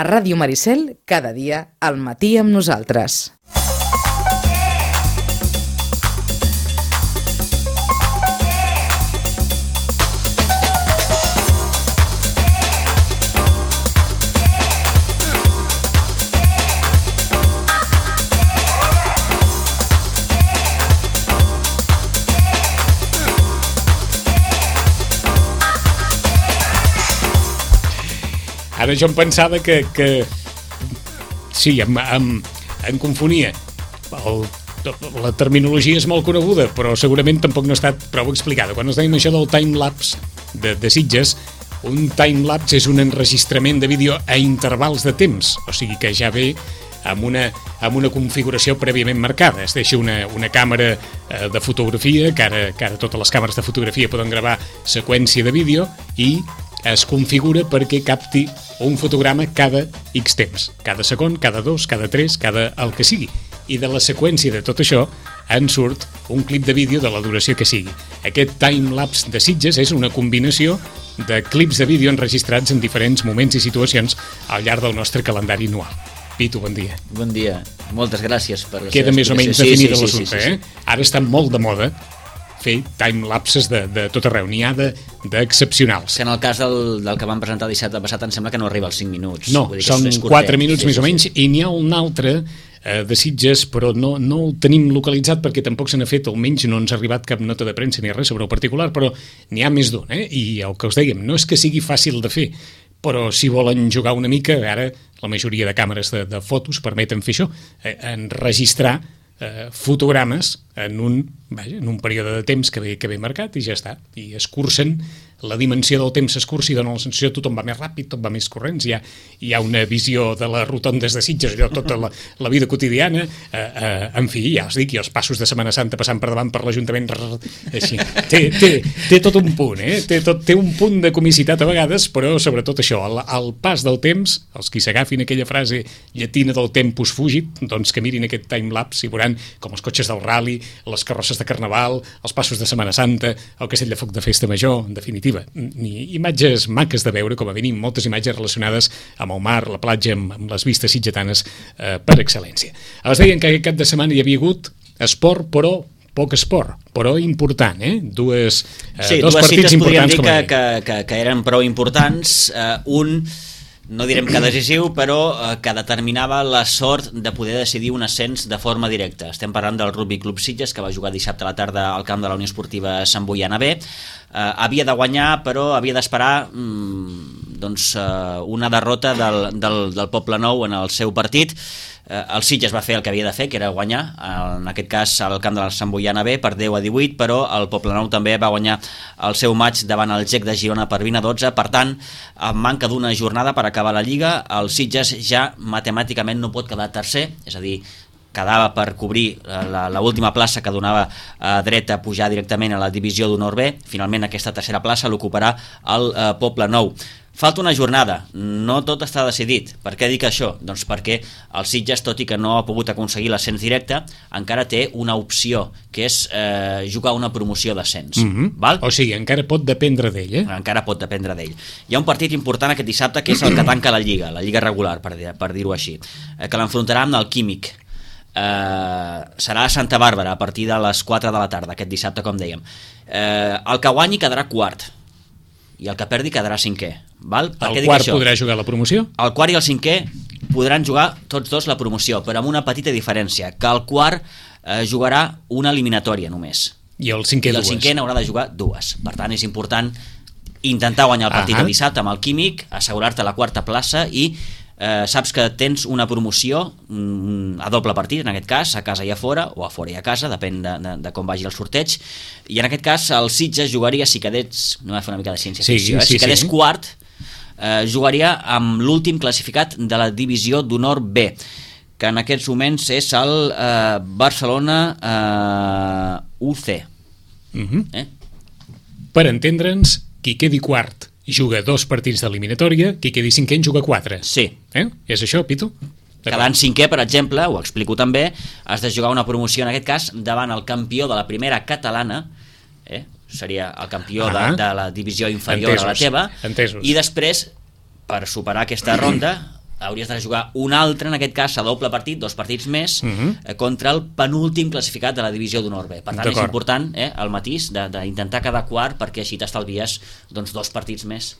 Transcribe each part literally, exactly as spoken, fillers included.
A Ràdio Maricel, cada dia, al matí amb nosaltres. Ara jo em pensava que, que sí, em, em, em confonia. El, la terminologia és molt coneguda, però segurament tampoc no ha estat prou explicada. Quan es deien això del timelapse de, de Sitges, un timelapse és un enregistrament de vídeo a intervals de temps, o sigui que ja ve amb una, amb una configuració prèviament marcada. Es deixa una, una càmera eh, de fotografia, que ara, que ara totes les càmeres de fotografia poden gravar seqüència de vídeo, i es configura perquè capti un fotograma cada X temps, cada segon, cada dos, cada tres, cada el que sigui. I de la seqüència de tot això en surt un clip de vídeo de la duració que sigui. Aquest timelapse de Sitges és una combinació de clips de vídeo enregistrats en diferents moments i situacions al llarg del nostre calendari anual. Pitu, bon dia. Bon dia. Moltes gràcies per la Queda més o menys definida sí, sí, l'assumpte, sí, sí, sí. eh? Ara està molt de moda fer timelapses de, de tot arreu, n'hi ha d'excepcionals. Que en el cas del, del que vam presentar el dissabte passat em sembla que no arriba als cinc minuts. No, Vull dir són és, és quatre minuts sí, més sí, o menys, sí. i n'hi ha un altre eh, de Sitges, però no, no el tenim localitzat perquè tampoc se n'ha fet, almenys no ens ha arribat cap nota de premsa ni res sobre el particular, però n'hi ha més d'un, eh? I el que us dèiem, no és que sigui fàcil de fer, però si volen jugar una mica, ara la majoria de càmeres de, de fotos permeten fer això, eh, enregistrar eh, fotogrames en un, vaja, en un període de temps que ve, que ve marcat i ja està, i es cursen, la dimensió del temps s'escurça i dona la sensació que tothom va més ràpid, tot va més corrents, hi ha, hi ha una visió de les rotondes de Sitges, allò, tota la, la vida quotidiana, eh, eh, en fi, ja us dic, i els passos de Setmana Santa passant per davant per l'Ajuntament, així, té, té, té tot un punt, eh? té, tot, té un punt de comicitat a vegades, però sobretot això, el, el pas del temps, els qui s'agafin aquella frase llatina del tempus fugit, doncs que mirin aquest timelapse i veuran com els cotxes del rally, les carrosses de Carnaval, els passos de Setmana Santa, el castell de foc de Festa Major, en definitiva, ni imatges maques de veure, com a mínim moltes imatges relacionades amb el mar, la platja, amb, amb les vistes sitgetànes eh, per excel·lència. Els deien que aquest cap de setmana hi havia hagut esport, però poc esport, però important, eh? Dues, eh, sí, dos dues partits cites importants podríem dir com que, que, que, que eren prou importants, eh, un no direm que decisiu, però eh, que determinava la sort de poder decidir un ascens de forma directa. Estem parlant del Rugby Club Sitges, que va jugar dissabte a la tarda al camp de la Unió Esportiva Sant Boiana B. Eh, havia de guanyar, però havia d'esperar mm, doncs, eh, una derrota del, del, del Poble Nou en el seu partit. Eh, el Sitges va fer el que havia de fer, que era guanyar, en aquest cas al camp de la Sant Boiana B per deu a divuit, però el Poblenou també va guanyar el seu maig davant el G E C de Girona per vint a dotze. Per tant, amb manca d'una jornada per acabar la Lliga, el Sitges ja matemàticament no pot quedar tercer, és a dir, quedava per cobrir l'última plaça que donava eh, dret a pujar directament a la divisió d'honor B. Finalment aquesta tercera plaça l'ocuparà el eh, Poblenou. Falta una jornada, no tot està decidit. Per què dic això? Doncs perquè el Sitges, tot i que no ha pogut aconseguir l'ascens directe, encara té una opció, que és eh, jugar una promoció d'ascens. Mm-hmm. Val? O sigui, encara pot dependre d'ell, eh? Encara pot dependre d'ell. Hi ha un partit important aquest dissabte, que és el que tanca la Lliga, la Lliga regular, per, per dir-ho així, eh, que l'enfrontarà amb el Químic. Eh, serà a Santa Bàrbara a partir de les quatre de la tarda, aquest dissabte, com dèiem. Eh, el que guanyi quedarà quart i el que perdi quedarà cinquè. Val? Per el quart podrà jugar la promoció? El quart i el cinquè podran jugar tots dos la promoció, però amb una petita diferència, que el quart eh, jugarà una eliminatòria només. I el cinquè I el dues. cinquè n'haurà de jugar dues. Per tant, és important intentar guanyar el partit uh-huh. el dissabte amb el Químic, assegurar-te la quarta plaça i eh, saps que tens una promoció mm, a doble partit, en aquest cas, a casa i a fora, o a fora i a casa, depèn de, de, de com vagi el sorteig, i en aquest cas el Sitges jugaria, si quedés, no va fer una mica de ciència-ficció, sí, eh? si quedés sí. quart, eh, jugaria amb l'últim classificat de la divisió d'honor B, que en aquests moments és el eh, Barcelona eh, U C. Uh-huh. Eh? Per entendre'ns, qui quedi quart juga dos partits d'eliminatòria, qui quedi cinquè en juga quatre. Sí. Eh? És això, Pitu? Quedant cinquè, per exemple, ho explico també, has de jugar una promoció, en aquest cas, davant el campió de la primera catalana, eh? seria el campió uh-huh. de, de la divisió inferior Entesos. a la teva, Entesos. i després, per superar aquesta ronda, hauries de jugar un altre, en aquest cas a doble partit, dos partits més, uh -huh. eh, contra el penúltim classificat de la divisió d'honor B. Per tant, és important eh, el matís d'intentar cada quart, perquè així t'estalvies doncs, dos partits més.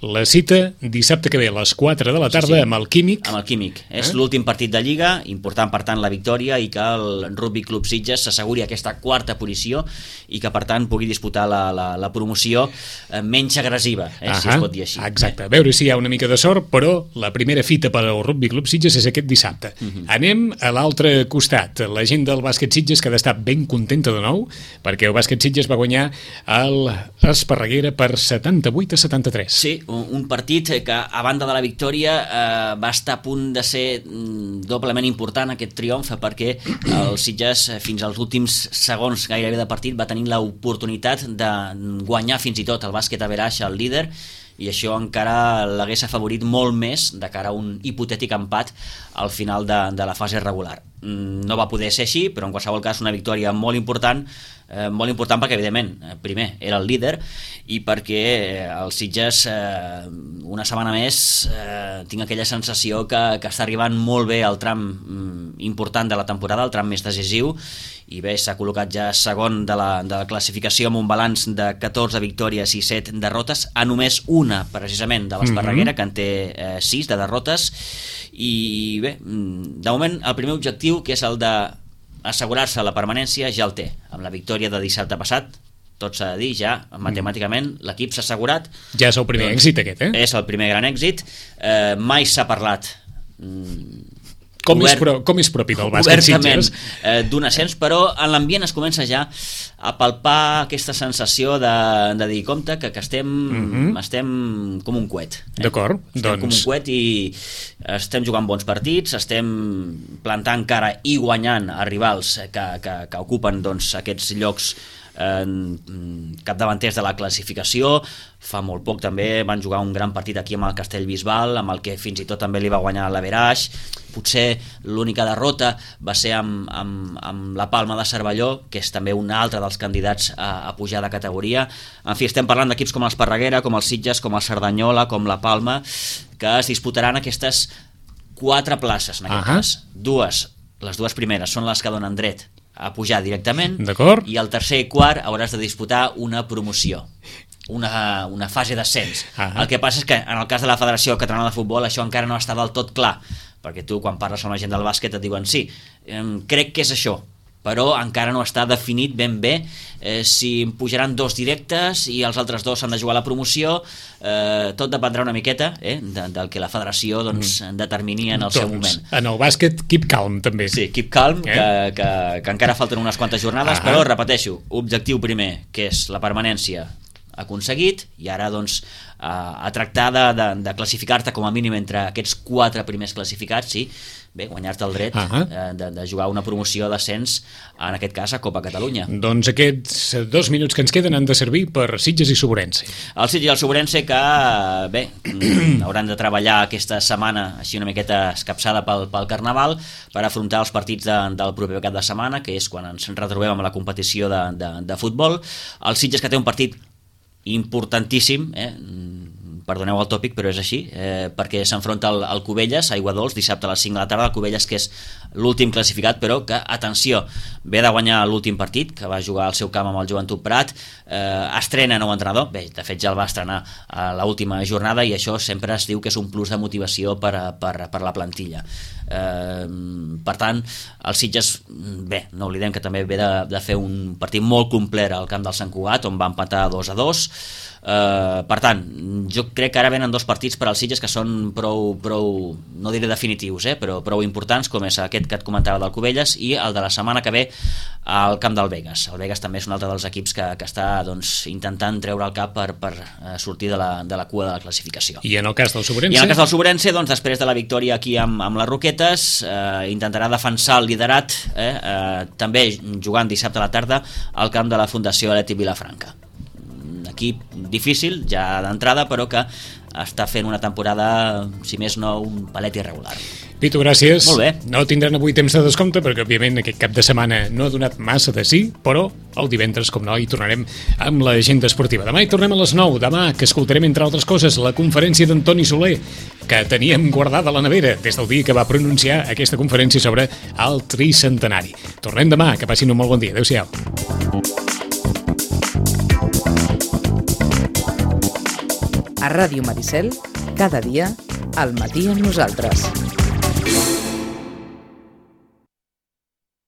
La cita dissabte que ve a les quatre de la tarda sí, sí. amb el Químic. Amb el Químic. Eh? És l'últim partit de Lliga, important per tant la victòria i que el Rugby Club Sitges s'asseguri aquesta quarta posició i que per tant pugui disputar la, la, la promoció eh, menys agressiva, eh? si es pot dir així. Exacte, a veure si hi ha una mica de sort, però la primera fita per al Rugby Club Sitges és aquest dissabte. Uh -huh. Anem a l'altre costat, la gent del bàsquet Sitges que ha d'estar ben contenta de nou, perquè el bàsquet Sitges va guanyar l'Esparreguera per setanta-vuit a setanta-tres. Sí, un partit que a banda de la victòria eh, va estar a punt de ser doblement important aquest triomf, perquè el Sitges fins als últims segons gairebé de partit va tenir l'oportunitat de guanyar fins i tot el bàsquet Averaix, el líder, i això encara l'hagués afavorit molt més de cara a un hipotètic empat al final de, de la fase regular. No va poder ser així, però en qualsevol cas una victòria molt important, eh, molt important perquè evidentment, primer, era el líder i perquè el Sitges eh, una setmana més eh, tinc aquella sensació que, que està arribant molt bé al tram mm, important de la temporada, el tram més decisiu, i bé, s'ha col·locat ja segon de la, de la classificació amb un balanç de catorze victòries i set derrotes, a només una precisament de l'Esparreguera, mm-hmm. que en té eh, sis de derrotes, i bé, de moment el primer objectiu, que és el d'assegurar-se la permanència, ja el té, amb la victòria de dissabte passat. Tot s'ha de dir, ja matemàticament l'equip s'ha assegurat. Ja és el primer doncs, èxit aquest, eh? És el primer gran èxit. Eh, mai s'ha parlat Com, Obert, és pro, com és propi del bàsquet Sitges? Eh, d'un ascens, però en l'ambient es comença ja a palpar aquesta sensació de, de dir, compte, que, que estem, uh-huh. estem com un coet. Eh? D'acord. Estem doncs... com un coet i estem jugant bons partits, estem plantant cara i guanyant a rivals que, que, que ocupen doncs, aquests llocs eh, capdavanters de la classificació. Fa molt poc també van jugar un gran partit aquí amb el Castellbisbal, amb el que fins i tot també li va guanyar l'Averaix. Potser l'única derrota va ser amb, amb, amb la Palma de Cervelló, que és també un altre dels candidats a, a pujar de categoria. En fi, estem parlant d'equips com l'Esparreguera, com el Sitges, com el Cerdanyola, com la Palma, que es disputaran aquestes quatre places en aquest uh-huh. cas. Dues, les dues primeres són les que donen dret a pujar directament, i el tercer i quart hauràs de disputar una promoció, una, una fase d'ascens. Uh-huh. El que passa és que en el cas de la Federació Catalana de Futbol això encara no està del tot clar, perquè tu quan parles amb la gent del bàsquet et diuen sí, eh, crec que és això, però encara no està definit ben bé eh, si pujaran dos directes i els altres dos s'han de jugar a la promoció. Eh, tot dependrà una miqueta eh, de, del que la federació doncs, mm. determini en el doncs, seu moment. En el bàsquet, keep calm també. Sí, keep calm, eh? que, que, que encara falten unes quantes jornades, ah. però repeteixo, objectiu primer, que és la permanència, aconseguit, i ara doncs a, a tractar de, de, de classificar-te com a mínim entre aquests quatre primers classificats, sí, bé, guanyar-te el dret uh-huh. eh, de, de jugar una promoció d'ascens, en aquest cas a Copa Catalunya. Doncs aquests dos minuts que ens queden han de servir per Sitges i Soberense. El Sitges i el Soberense que, bé, hauran de treballar aquesta setmana així una miqueta escapçada pel, pel Carnaval per afrontar els partits de, del proper cap de setmana, que és quan ens retrobem amb la competició de, de, de futbol. El Sitges que té un partit importantíssim, eh? perdoneu el tòpic, però és així, eh, perquè s'enfronta al, al Cubelles, a Aigua Dols, dissabte a les cinc de la tarda, el Cubelles que és l'últim classificat, però que, atenció, ve de guanyar l'últim partit, que va jugar al seu camp amb el Joventut Prat, eh, estrena nou entrenador, bé, de fet ja el va estrenar a l'última jornada, i això sempre es diu que és un plus de motivació per, a, per, per la plantilla. Eh, per tant, el Sitges, bé, no oblidem que també ve de, de fer un partit molt complet al camp del Sant Cugat, on va empatar dos a dos. Uh, per tant, jo crec que ara venen dos partits per als Sitges que són prou, prou no diré definitius, eh, però prou importants, com és aquest que et comentava del Cubelles i el de la setmana que ve al camp del Vegas. El Vegas també és un altre dels equips que, que està doncs, intentant treure el cap per, per uh, sortir de la, de la cua de la classificació. I en el cas del Soberense? I en el cas del Soberense, doncs, després de la victòria aquí amb, amb les Roquetes, eh, intentarà defensar el liderat, eh, eh, també jugant dissabte a la tarda al camp de la Fundació Aleti Vilafranca. Equip difícil ja d'entrada, però que està fent una temporada, si més no, un palet irregular. Pitu, gràcies. Molt bé. No tindran avui temps de descompte perquè, òbviament, aquest cap de setmana no ha donat massa de sí, però el divendres, com no, hi tornarem amb l'agenda esportiva. Demà hi tornem a les nou. Demà, que escoltarem, entre altres coses, la conferència d'Antoni Soler, que teníem guardada a la nevera des del dia que va pronunciar aquesta conferència sobre el tricentenari. Tornem demà. Que passin un molt bon dia. Adéu-siau. A Ràdio Maricel, cada dia, al matí amb nosaltres.